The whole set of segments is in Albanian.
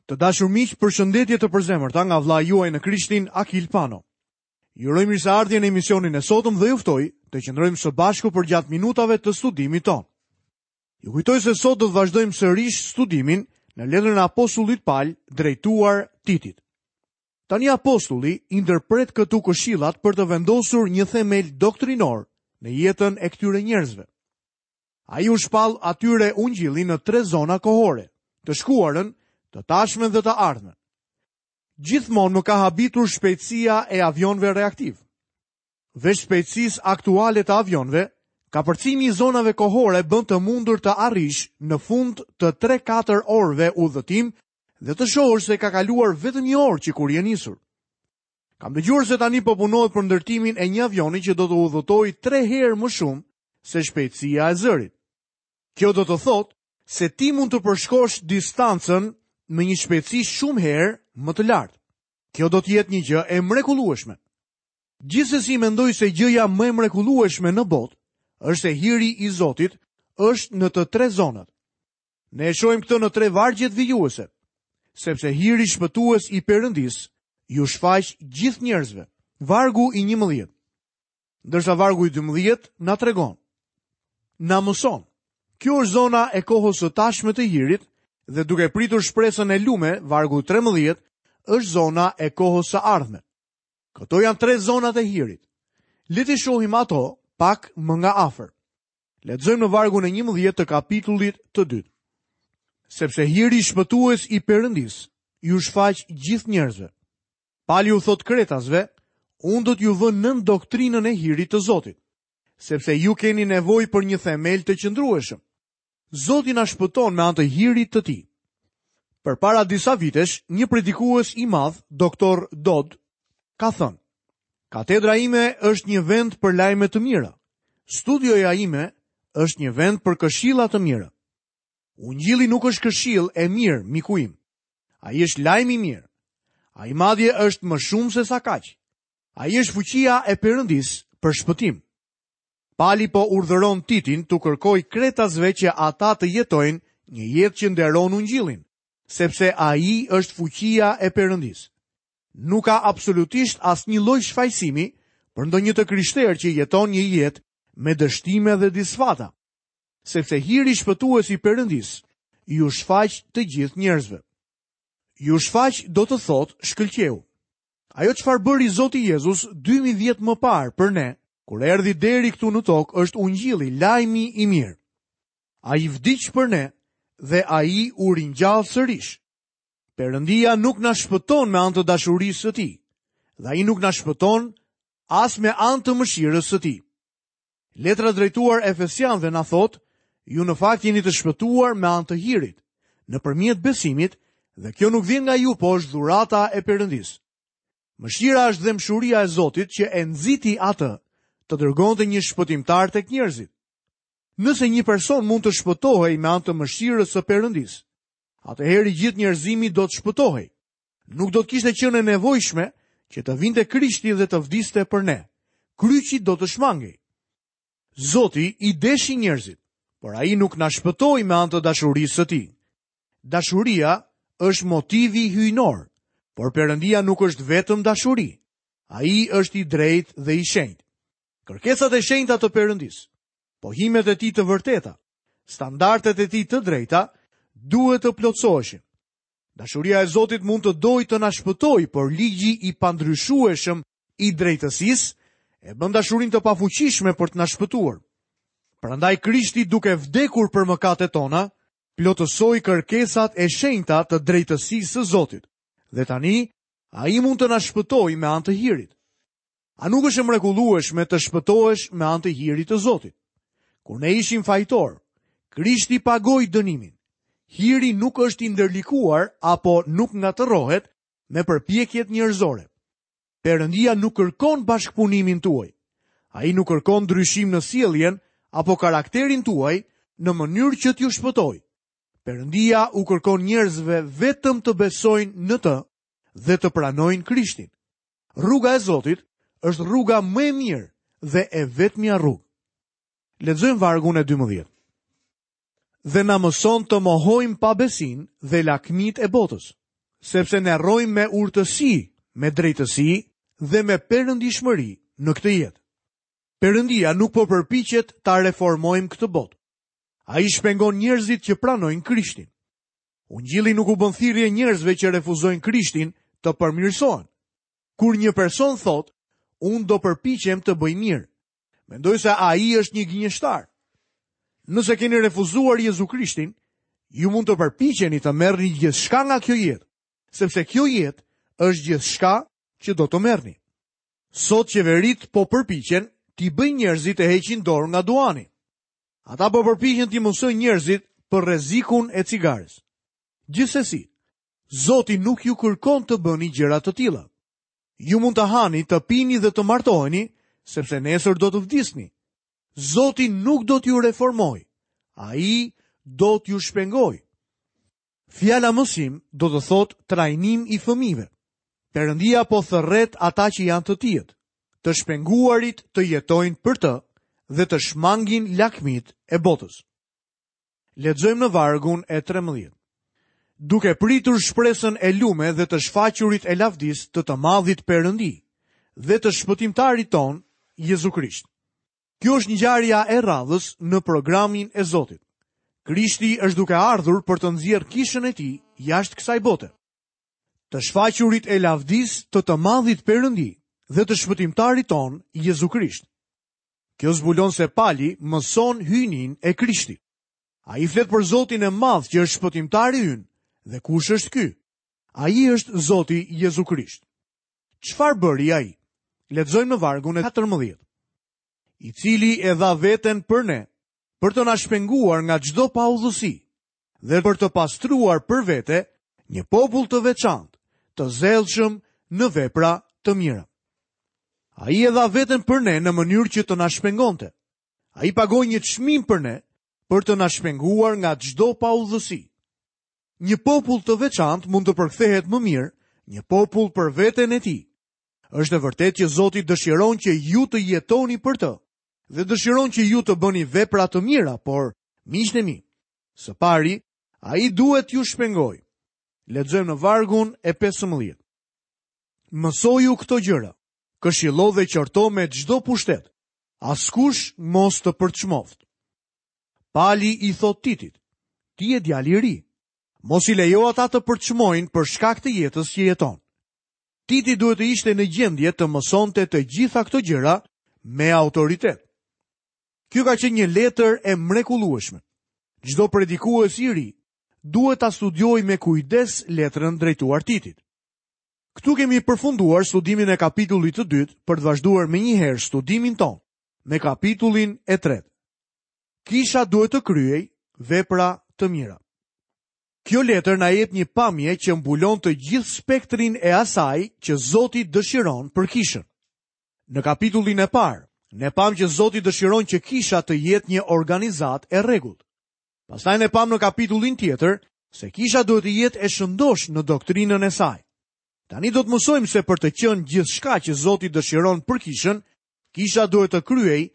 Të dashur miq, përshëndetje të përzemërta nga vëllai juaj në Krishtin, Akil Pano. Ju uroj mirëseardhje në emisionin e sotëm dhe ju ftoj të qëndrojmë së bashku përgjatë minutave të studimit tonë. Ju kujtoj se sot do të vazhdojmë sërish studimin në letrën e apostullit Pal drejtuar Titit. Tani apostulli i ndërpret këtu këshillat për të vendosur një themel doktrinor në jetën e këtyre njerëzve. Ai u shpall atyre ungjillin në tre zona kohore, të shkuarën, të tashmen dhe të ardhmen. Gjithmonë më ka habitur shpejtësia e avionëve reaktivë. Veç shpejtësisë aktuale të avionëve, kapërcimi i zonave kohore bën të mundur të arrish në fund të 3-4 orëve udhëtim dhe të shohësh se ka kaluar vetëm një orë që kur je nisur. Kam dëgjuar se tani po punohet për ndërtimin e një avioni që do të udhëtojë 3 herë më shumë se shpejtësia e zërit. Kjo do të thotë se ti mund të përshkosh distancën me një shpejtësi shumë herë më të lartë. Kjo do të jetë një gjë e mrekullueshme. Gjithsesi mendoj se gjëja më e mrekullueshme në botë është se hiri i Zotit është në të tre zonat. Ne e shohim këtë në tre vargjet vijuese, sepse hiri shpëtues i Perëndisë iu shfaq gjithë njerëzve. Vargu i 11. Ndërsa vargu i 12 na tregon. Na mëson. Kjo është zona e kohës së tashme të hirit dhe duke pritur shpresën e lume, vargu 13 është zona e kohës së ardhme. Këto janë tre zonat e hirit. Le t'i shohim ato pak më nga afër. Lexojmë në vargun e 11 të kapitullit të dytë. Sepse hiri shpëtues i Perëndisë iu shfaq gjithë njerëzve. Pali u thotë kretasve, unë do t'ju vë nën doktrinën e hirit të Zotit, sepse ju keni nevojë për një themel të qëndrueshëm. Zoti na shpëton me anë të hirit të tij. Përpara disa vitesh, një predikues i madh, doktor Dodd, ka thënë: Katedra ime është një vend për lajme të mira. Studioja ime është një vend për këshilla të mira. Ungjilli nuk është këshillë e mirë, miku im. Ai është lajm i mirë. Ai madje është më shumë se sa kaq. Ai është fuqia e Perëndisë për shpëtim. Pali po urdhëron Titin t'u kërkojë kretasve që ata të jetojnë një jetë që nderon ungjillin, sepse ai është fuqia e Perëndisë. Nuk ka absolutisht asnjë lloj shfajësimi për ndonjë të krishterë që jeton një jetë me dështime dhe disfata, sepse hiri shpëtues i Perëndisë iu shfaq të gjithë njerëzve. Iu shfaq do të thotë shkëlqeu. Ajo çfarë bëri Zoti Jezus 2000 vjet më parë për ne, kur erdhi deri këtu në tokë, është ungjilli, lajmi i mirë. Ai vdiq për ne dhe ai u ringjall sërish. Perëndia nuk na shpëton me anë të dashurisë së tij, dhe ai nuk na shpëton as me anë të mëshirës së tij. Letra drejtuar Efesianëve na thotë, ju në fakt jeni të shpëtuar me anë të hirit, nëpërmjet besimit, dhe kjo nuk vjen nga ju, po është dhurata e Perëndisë. Mëshira është dhembshuria e Zotit që e nxiti atë të dërgonte një shpëtimtar tek njerëzit. Nëse një person mund të shpëtohej me anë të mëshirës së Perëndisë, atëherë i gjithë njerëzimi do të shpëtohej. Nuk do të kishte qenë e nevojshme që të vinte Krishti dhe të vdiste për ne. Kryqi do të shmangej. Zoti i deshi njerëzit, por ai nuk na shpëtoi me anë të dashurisë së tij. Dashuria është motivi hyjnor, por Perëndia nuk është vetëm dashuri. Ai është i drejtë dhe i shenjtë. Kërkesat e shenjta të Perëndisë, pohimet e tij të vërteta, standardet e tij të drejta duhet të plotësoheshin. Dashuria e Zotit mund të dojë të na shpëtojë, por ligji i pandryshueshëm i drejtësisë e bën dashurinë të pafuqishme për të na shpëtuar. Prandaj Krishti duke vdekur për mëkatet tona, plotësoi kërkesat e shenjta të drejtësisë së Zotit. Dhe tani ai mund të na shpëtojë me anë të hirit. A nuk është e mrekullueshme të shpëtohesh me anë të hirit të Zotit? Kur ne ishim fajtorë, Krishti pagoi dënimin. Hiri nuk është i ndërlikuar apo nuk ngatërrohet me përpjekjet njerëzore. Perëndia nuk kërkon bashkëpunimin tuaj. Ai nuk kërkon ndryshim në sjelljen apo karakterin tuaj në mënyrë që t'ju shpëtojë. Perëndia u kërkon njerëzve vetëm të besojnë në të dhe të pranojnë Krishtin. Rruga e Zotit është rruga më e mirë dhe e vetmja rrugë. Lexojmë vargun e 12. Dhe na mëson të mohojmë pabesinë dhe lakmitë e botës. Sepse ne rrojmë me urtësi, me drejtësi dhe me perëndishmëri në këtë jetë. Perëndia nuk po përpiqet ta reformojmë këtë botë. Ai shpengon njerëzit që pranojnë Krishtin. Ungjilli nuk u bën thirrje njerëzve që refuzojnë Krishtin të përmirësohen. Kur një person thotë, unë do përpiqem të bëj mirë, mendoj se ai është një gënjeshtar. Nëse keni refuzuar Jezu Krishtin, ju mund të përpiqeni të merrni gjithçka nga kjo jetë, sepse kjo jetë është gjithçka që do të merrni. Sot qeveritë po përpiqen t'i bëjnë njerëzit të heqin dorë nga duhani. Ata po përpiqen t'i mësojnë njerëzit për rrezikun e cigares. Gjithsesi, Zoti nuk ju kërkon të bëni gjëra të tilla. Ju mund të hani, të pini dhe të martoheni, sepse nesër do të vdisni. Zoti nuk do t'ju reformojë. Ai do t'ju shpengojë. Fjala mësim do të thotë trajnim i fëmijëve. Perëndia po thërret ata që janë të tijët, të shpenguarit të jetojnë për të dhe të shmangin lakmitë e botës. Lexojmë në vargun e 13. Duke pritur shpresën e lume dhe të shfaqurit e lavdisë të të madhit Perëndi dhe të shpëtimtarit tonë, Jezu Krisht. Kjo është ngjarja e radhës në programin e Zotit. Krishti është duke ardhur për të nxjerrë kishën e tij jashtë kësaj bote. Të shfaqurit e lavdisë të të madhit Perëndi dhe të shpëtimtarit tonë, Jezu Krisht. Kjo zbulon se Pali mëson hyjninë e Krishtit. Ai flet për Zotin e madh që është shpëtimtari ynë dhe kush është ky? Ai është Zoti Jezu Krisht. Çfarë bëri ai? Lexojmë në vargun e 14. I cili e dha veten për ne, për të na shpenguar nga çdo paudhësi dhe për të pastruar për vete një popull të veçantë, të zellshëm në vepra të mira. Ai e dha veten për ne në mënyrë që të na shpengonte. Ai pagoi një çmim për ne për të na shpenguar nga çdo paudhësi. Një popull të veçantë mund të përkthehet më mirë, një popull për veten e tij. Është e vërtetë që Zoti dëshiron që ju të jetoni për të dhe dëshiron që ju të bëni vepra të mira, por miqtë e mi, së pari, ai duhet t'ju shpengojë. Lexojmë në vargun e 15. Mësoju këto gjëra, këshillo dhe qorto me çdo pushtet. Askush mos të përçmoftë. Pali i thotë Titit, ti je djalë i ri. Mos i lejo ata të përçmojnë për shkak të jetës që jeton. Titi duhet të ishte në gjendje të mësonte të gjitha këto gjëra me autoritet. Kjo ka qenë një letër e mrekullueshme. Çdo predikues i ri duhet ta studiojë me kujdes letrën drejtuar Titit. Këtu kemi përfunduar studimin e kapitullit të dytë për të vazhduar menjëherë studimin tonë me kapitullin e tretë. Kisha duhet të kryejë vepra të mira. Kjo letër na jep një pamje që mbulon të gjithë spektrin e asaj që Zoti dëshiron për kishën. Në kapitullin e parë, ne pamë që Zoti dëshiron që kisha të jetë një organizatë e rregullt. Pastaj ne pamë në kapitullin tjetër se kisha duhet të jetë e shëndoshë në doktrinën e saj. Tani do të mësojmë se për të qenë gjithçka që Zoti dëshiron për kishën, Kisha duhet të kryejë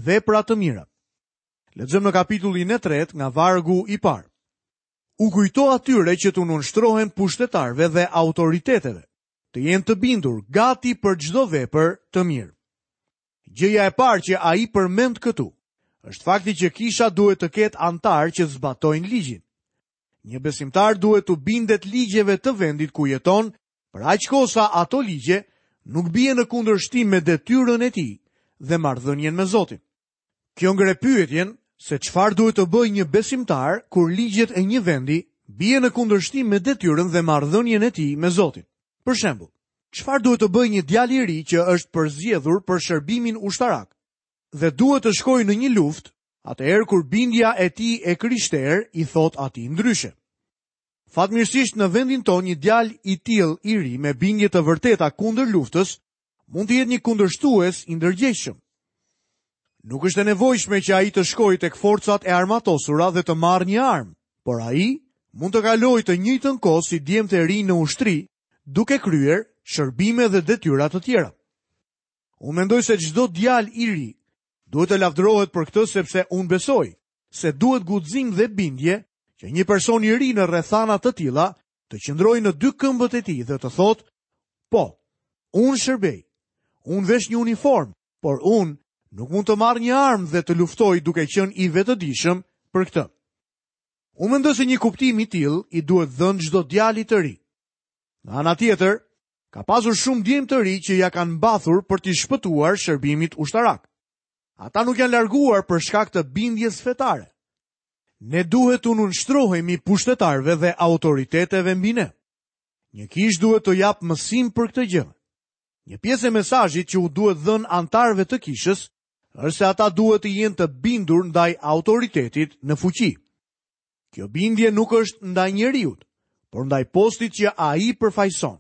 vepra të mira. Lexojmë në kapitullin e tretë nga vargu i parë. U kujto atyre që t'u nënshtrohen pushtetarëve dhe autoriteteve, të jenë të bindur, gati për çdo vepër të mirë. Gjëja e parë që ai përmend këtu, është fakti që kisha duhet të ketë anëtarë që zbatojnë ligjin. Një besimtar duhet t'u bindet ligjeve të vendit ku jeton Për aq kohë sa ato ligje nuk bien në kundërshtim me detyrën e tij dhe marrëdhënien me Zotin. Kjo ngre pyetjen se çfarë duhet të bëjë një besimtar kur ligjet e një vendi bien në kundërshtim me detyrën dhe marrëdhënien e tij me Zotin. Për shembull, çfarë duhet të bëjë një djalë i ri që është përzgjedhur për shërbimin ushtarak dhe duhet të shkojë në një luftë, atëherë kur bindja e tij e krishterë i thotë atij ndryshe. Fatmirësisht në vendin tonë një djalë i tillë i ri me bindje të vërteta kundër luftës mund të jetë një kundërshtues i ndërgjegjshëm. Nuk është e nevojshme që ai të shkojë tek forcat e armatosura dhe të marrë një armë, por ai mund të kalojë të njëjtën kohë si djemtë e rinj në ushtri, duke kryer shërbime dhe detyra të tjera. Unë mendoj se çdo djalë i ri duhet të lavdërohet për këtë sepse unë besoj se duhet guxim dhe bindje që një person i ri në rrethana të tilla. të qëndrojë në dy këmbët e tij dhe të thotë, po, unë shërbej, unë vesh një uniformë, por unë nuk mund të marr një armë dhe të luftoj duke qenë i vetëdijshëm për këtë. Unë mendoj se një kuptim i tillë i duhet dhënë çdo djali të ri. Nga ana tjetër, ka pasur shumë djem të ri që ia kanë mbathur për t'i shpëtuar shërbimit ushtarak. Ata nuk janë larguar për shkak të bindjes fetare. Ne duhet t'u nënshtrohemi pushtetarëve dhe autoriteteve mbi ne. Një kishë duhet të japë mësim për këtë gjë. Një pjesë e mesazhit që u duhet dhënë anëtarëve të kishës është se ata duhet të jenë të bindur ndaj autoritetit në fuqi. Kjo bindje nuk është ndaj njeriut, por ndaj postit që ai përfaqëson.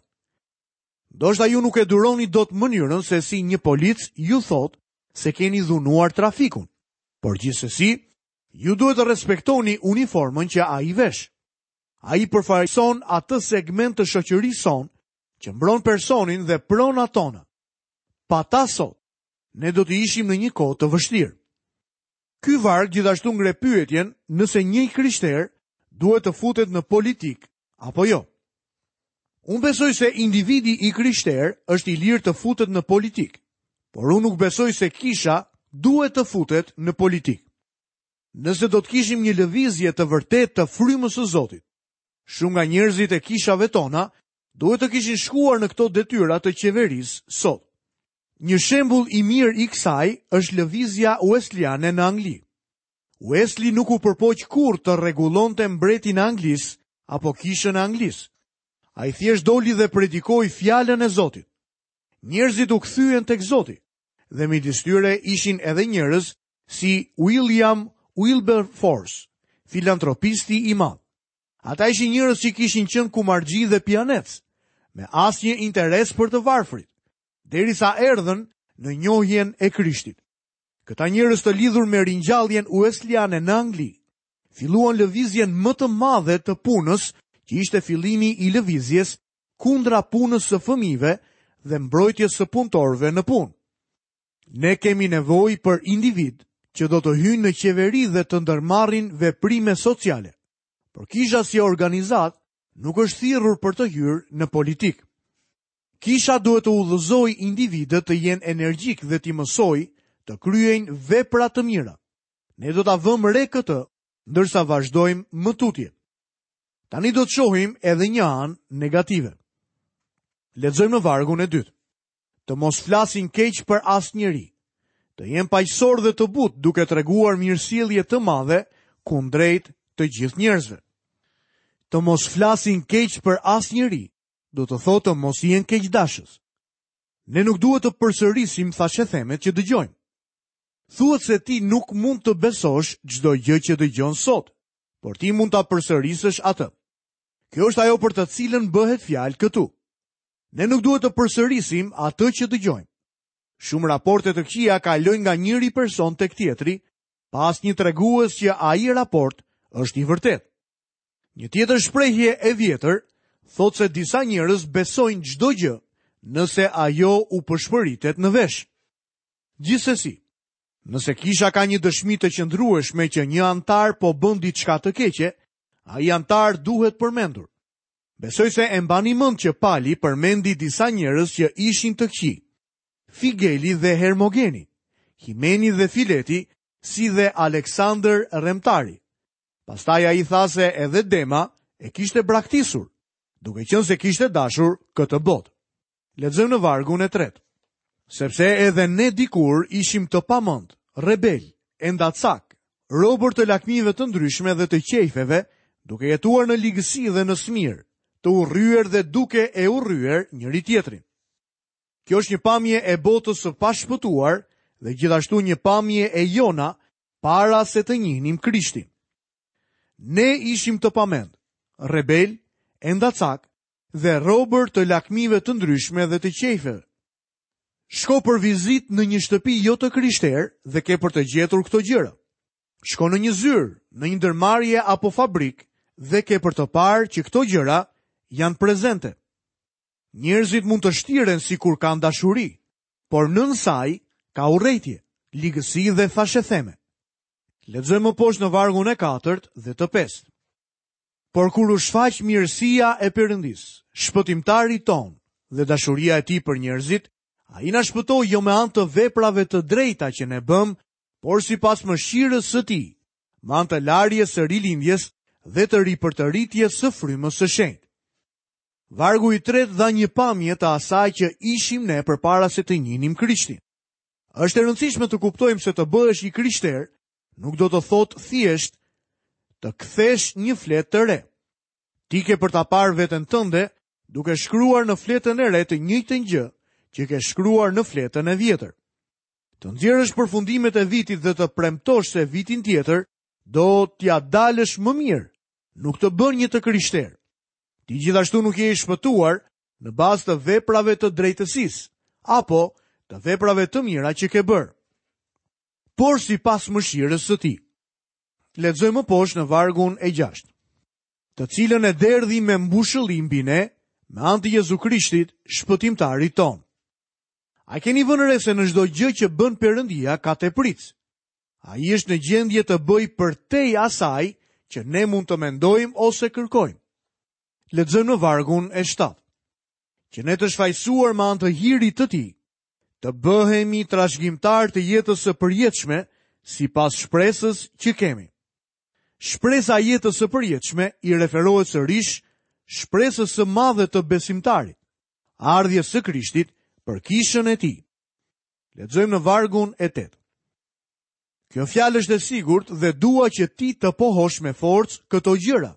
Ndoshta ju nuk e duroni dot mënyrën se si një polic ju thotë se keni dhunuar trafikun, por gjithsesi, ju duhet të respektoni uniformën që ai vesh. Ai përfaqëson atë segment të shoqërisë sonë që mbron personin dhe pronat tona. Pa ta sot, ne do të ishim në një kohë të vështirë. Ky varg gjithashtu ngre pyetjen nëse një i krishterë duhet të futet në politikë apo jo. Unë besoj se individi i krishterë është i lirë të futet në politikë, por unë nuk besoj se kisha duhet të futet në politikë. Nëse do të kishim një lëvizje të vërtetë të frymës së Zotit, shumë nga njerëzit e kishave tona duhet të kishin shkuar në këto detyra të qeverisë sot. Një shembull i mirë i kësaj është lëvizja Wesleyan në Angli. Wesley nuk u përpoq kurrë të rregullonte mbretin e Anglisë apo kishën e Anglisë. Ai thjesht doli dhe predikoi fjalën e Zotit. Njerëzit u kthyen tek Zoti dhe midis tyre ishin edhe njerëz si William Wilberforce, filantropisti i madh. Ata ishin njerëz që kishin qenë kumarxhi dhe pijanecë, me asnjë interes për të varfrit, derisa erdhën në njohjen e Krishtit. Këta njerëz të lidhur me ringjalljen uesliane në Angli, filluan lëvizjen më të madhe të punës, që ishte fillimi i lëvizjes kundra punës së fëmijëve dhe mbrojtjes së punëtorëve në punë. Ne kemi nevojë për individë që do të hyjnë në qeveri dhe të ndërmarrin veprime sociale. Por kisha si organizatë nuk është thirrur për të hyrë në politikë. Kisha duhet të udhëzojë individët të jenë energjikë dhe t'i mësojë të kryejnë vepra të mira. Ne do ta vëmë re këtë ndërsa vazhdojmë më tutje. Tani do të shohim edhe një anë negative. Lexojmë në vargun e dytë. Të mos flasin keq për asnjeri. Të jenë paqësorë dhe të butë duke treguar mirësjellje të madhe kundrejt të gjithë njerëzve. Të mos flasin keq për asnjeri, do të thotë të mos jenë keqdashës. Ne nuk duhet të përsërisim thashethemet që dëgjojmë. Thuhet se ti nuk mund të besosh çdo gjë që dëgjon sot, por ti mund ta përsërisësh atë. Kjo është ajo për të cilën bëhet fjalë këtu. Ne nuk duhet të përsërisim atë që dëgjojmë. Shumë raporte të këqija kalojnë nga njëri person tek tjetri, pa asnjë tregues që ai raport është i vërtetë. Një tjetër shprehje e vjetër thotë se disa njerëz besojnë çdo gjë nëse ajo u pëshpëritet në vesh. Gjithsesi, nëse kisha ka një dëshmi të qëndrueshme që një anëtar po bën diçka të keqe, ai anëtar duhet përmendur. Besoj se e mbani mend që Pali përmendi disa njerëz që ishin të këqij. Figeli dhe Hermogeni, Himeni dhe Fileti, si dhe Aleksandër Remtari. Pastaj ai tha se edhe Dema e kishte braktisur, duke qenë se kishte dashur këtë botë. Lexojmë në vargun e tretë. Sepse edhe ne dikur ishim të pamend, rebelë, endacakë, robër të lakmive të ndryshme dhe të qejfeve, duke jetuar në ligësi dhe në smirë, të urryer dhe duke e urryer njëri-tjetrin. Kjo është një pamje e botës së pashpëtuar dhe gjithashtu një pamje e jona para se të njihnim Krishtin. Ne ishim të pamend, rebelë, endacakë dhe robër të lakmive të ndryshme dhe të qejfeve. Shko për vizitë në një shtëpi jo të krishterë dhe ke për të gjetur këto gjëra. Shko në një zyrë, në një ndërmarrje apo fabrikë dhe ke për të parë që këto gjëra janë prezente. Njerëzit mund të shtiren sikur kanë dashuri, por nën saj ka urrejtje, ligësi dhe thashetheme. Lexojmë më poshtë në vargun e katërt dhe të pestë. Por kur u shfaq mirësia e Perëndisë, shpëtimtarit tonë dhe dashuria e tij për njerëzit, ai na shpëtoi jo me anë të veprave të drejta që ne bëmë, por sipas mëshirës së tij, me anë të larjes së rilindjes dhe të ripërtëritjes së frymës së shenjtë. Vargu i tretë dha një pamje të asaj që ishim ne përpara se të njihnim Krishtin. Është e rëndësishme të kuptojmë se të bëhesh i krishterë nuk do të thotë thjesht të kthesh një fletë të re. Ti ke për ta parë veten tënde duke shkruar në fletën e re të njëjtën gjë që ke shkruar në fletën e vjetër. Të nxjerrësh përfundimet e vitit dhe të premtosh se vitin tjetër do t'ia dalësh më mirë, nuk të bën një të krishterë. Ti gjithashtu nuk je i shpëtuar në bazë të veprave të drejtësisë apo të veprave të mira që ke bërë. Por sipas mëshirës së tij. Lexojmë më poshtë në vargun e 6. Të cilën e derdhi me mbushëlli mbi ne, me anë të Jezu Krishtit, shpëtimtarit tonë. A keni vënë re se në çdo gjë që bën Perëndia ka tepricë? Ai është në gjendje të bëjë përtej asaj që ne mund të mendojmë ose kërkojmë. Lexojmë në vargun e 7. Që ne të shfajësuar me anë të hirit të tij, të bëhemi trashëgimtarë të jetës së përjetshme sipas shpresës që kemi. Shpresa e jetës së përjetshme i referohet sërish shpresës së madhe të besimtarit, ardhjes së Krishtit për kishën e tij. Lexojmë në vargun e 8. Kjo fjalë është e sigurt dhe dua që ti të pohosh me forcë këto gjëra,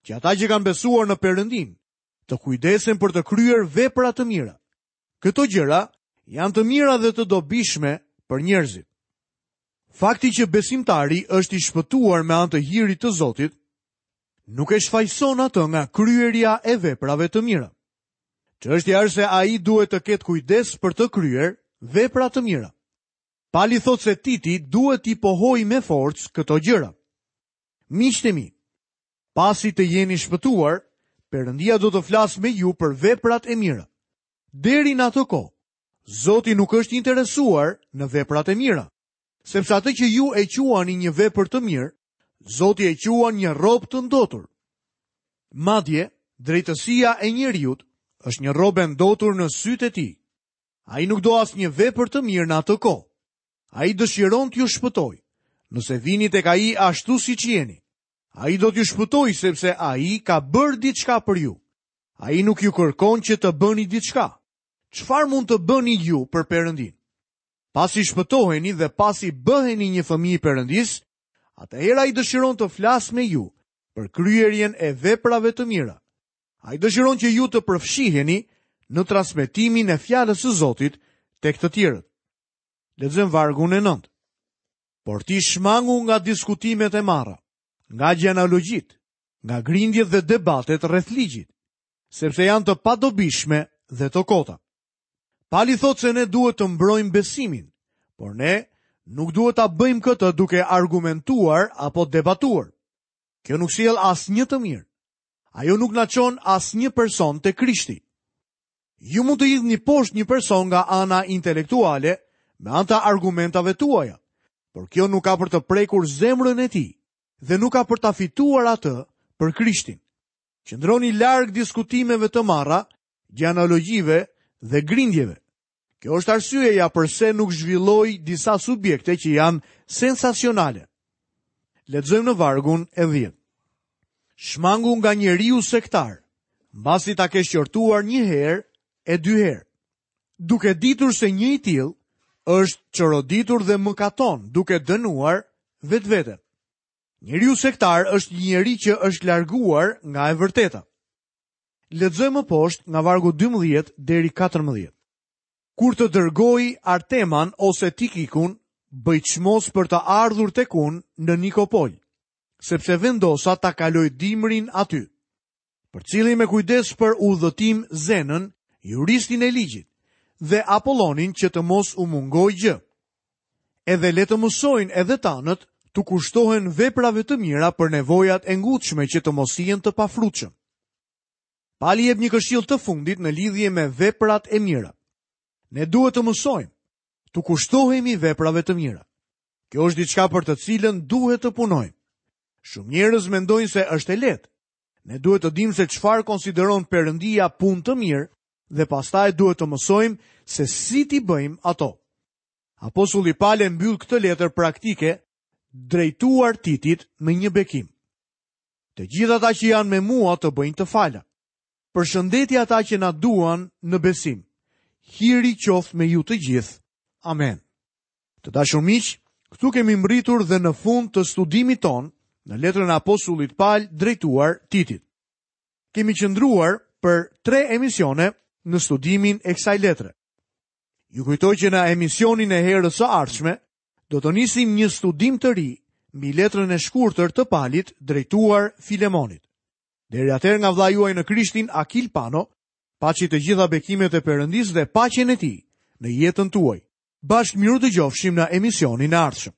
që ata që kanë besuar në Perëndinë, të kujdesen për të kryer vepra të mira. Këto gjëra janë të mira dhe të dobishme për njerëzit. Fakti që besimtari është i shpëtuar me anë të hirit të Zotit, nuk e shfajëson atë nga kryerja e veprave të mira. Çështja është se ai duhet të ketë kujdes për të kryer vepra të mira. Pali thotë se Titi duhet t'i pohojë me forcë këto gjëra. Miqtë e mi, Pasi të jeni shpëtuar, Perëndia do të flasë me ju për veprat e mira. Deri në atë kohë, Zoti nuk është i interesuar në veprat e mira, sepse atë që ju e quani një vepër të mirë, Zoti e quan një rrobë të ndotur. Madje, drejtësia e njeriut është një rrobë e ndotur në sytë e tij. Ai nuk do asnjë vepër të mirë në atë kohë. Ai dëshiron t'ju shpëtojë. Nëse vini tek ai ashtu siç jeni, Ai do t'ju shpëtojë sepse ai ka bërë diçka për ju. Ai nuk ju kërkon që të bëni diçka. Çfarë mund të bëni ju për Perëndinë? Pasi shpëtoheni dhe pasi bëheni një fëmijë i Perëndisë, atëherë ai dëshiron të flasë me ju për kryerjen e veprave të mira. Ai dëshiron që ju të përfshiheni në transmetimin e fjalës së Zotit tek të tjerët. Lexojmë vargun e 9. Por ti shmangu nga diskutimet e marra, nga gjenealogjitë, nga grindjet dhe debatet rreth ligjit, sepse janë të padobishme dhe të kota. Pali thotë se ne duhet të mbrojmë besimin, por ne nuk duhet ta bëjmë këtë duke argumentuar apo debatuar. Kjo nuk sjell asnjë të mirë. Ajo nuk na çon asnjë person te Krishti. Ju mund të hidhni poshtë një person nga ana intelektuale me anë të argumentave tuaja, por kjo nuk ka për të prekur zemrën e tij dhe nuk ka për ta fituar atë për Krishtin. Qëndroni larg diskutimeve të marra, gjenealogjive dhe grindjeve. Kjo është arsyeja përse nuk zhvilloj disa subjekte që janë sensacionale. Lexojmë në vargun e 10. Shmangu nga njeriu sektar, mbasi ta kesh qortuar një herë e dy herë. Duke ditur se një i tillë është çoroditur dhe mëkaton, duke dënuar vetveten. Njeriu sektar është një njeri që është larguar nga e vërteta. Lexojmë më poshtë nga vargu 12 deri 14. Kur të dërgoj Arteman ose Tikikun, bëj çmos për të ardhur tek unë në Nikopol, sepse vendosa ta kaloj dimrin aty. Përcilli me kujdes për udhëtim Zenën, juristin e ligjit, dhe Apollonin që të mos u mungojë gjë. Edhe le të mësojnë edhe tanët t'u kushtohen veprave të mira për nevojat e ngutshme që të mos jenë të pafrutshëm. Pali jep një këshillë të fundit në lidhje me veprat e mira. Ne duhet të mësojmë t'u kushtohemi veprave të mira. Kjo është diçka për të cilën duhet të punojmë. Shumë njerëz mendojnë se është e lehtë. Ne duhet të dimë se çfarë konsideron Perëndia punë të mirë dhe pastaj duhet të mësojmë se si t'i bëjmë ato. Apostulli Pal e mbyll këtë letër praktike drejtuar Titit me një bekim. Të gjithë ata që janë me mua të bëjnë të fala. Përshëndeti ata që na duan në besim. Hiri qoftë me ju të gjithë. Amen. Të dashur miq, këtu kemi mbërritur dhe në fund të studimit tonë në letrën e apostullit Pal drejtuar Titit. Kemi qëndruar për tre emisione në studimin e kësaj letre. Ju kujtoj që në emisionin e herës së ardhshme do të nisim një studim të ri mbi letrën e shkurtër të Palit drejtuar Filemonit. Deri atëherë nga vëllai juaj në Krishtin Akil Pano, paçi të gjitha bekimet e Perëndisë dhe paqen e tij në jetën tuaj. Bashkë mirudëgjofshim në emisionin e ardhshëm.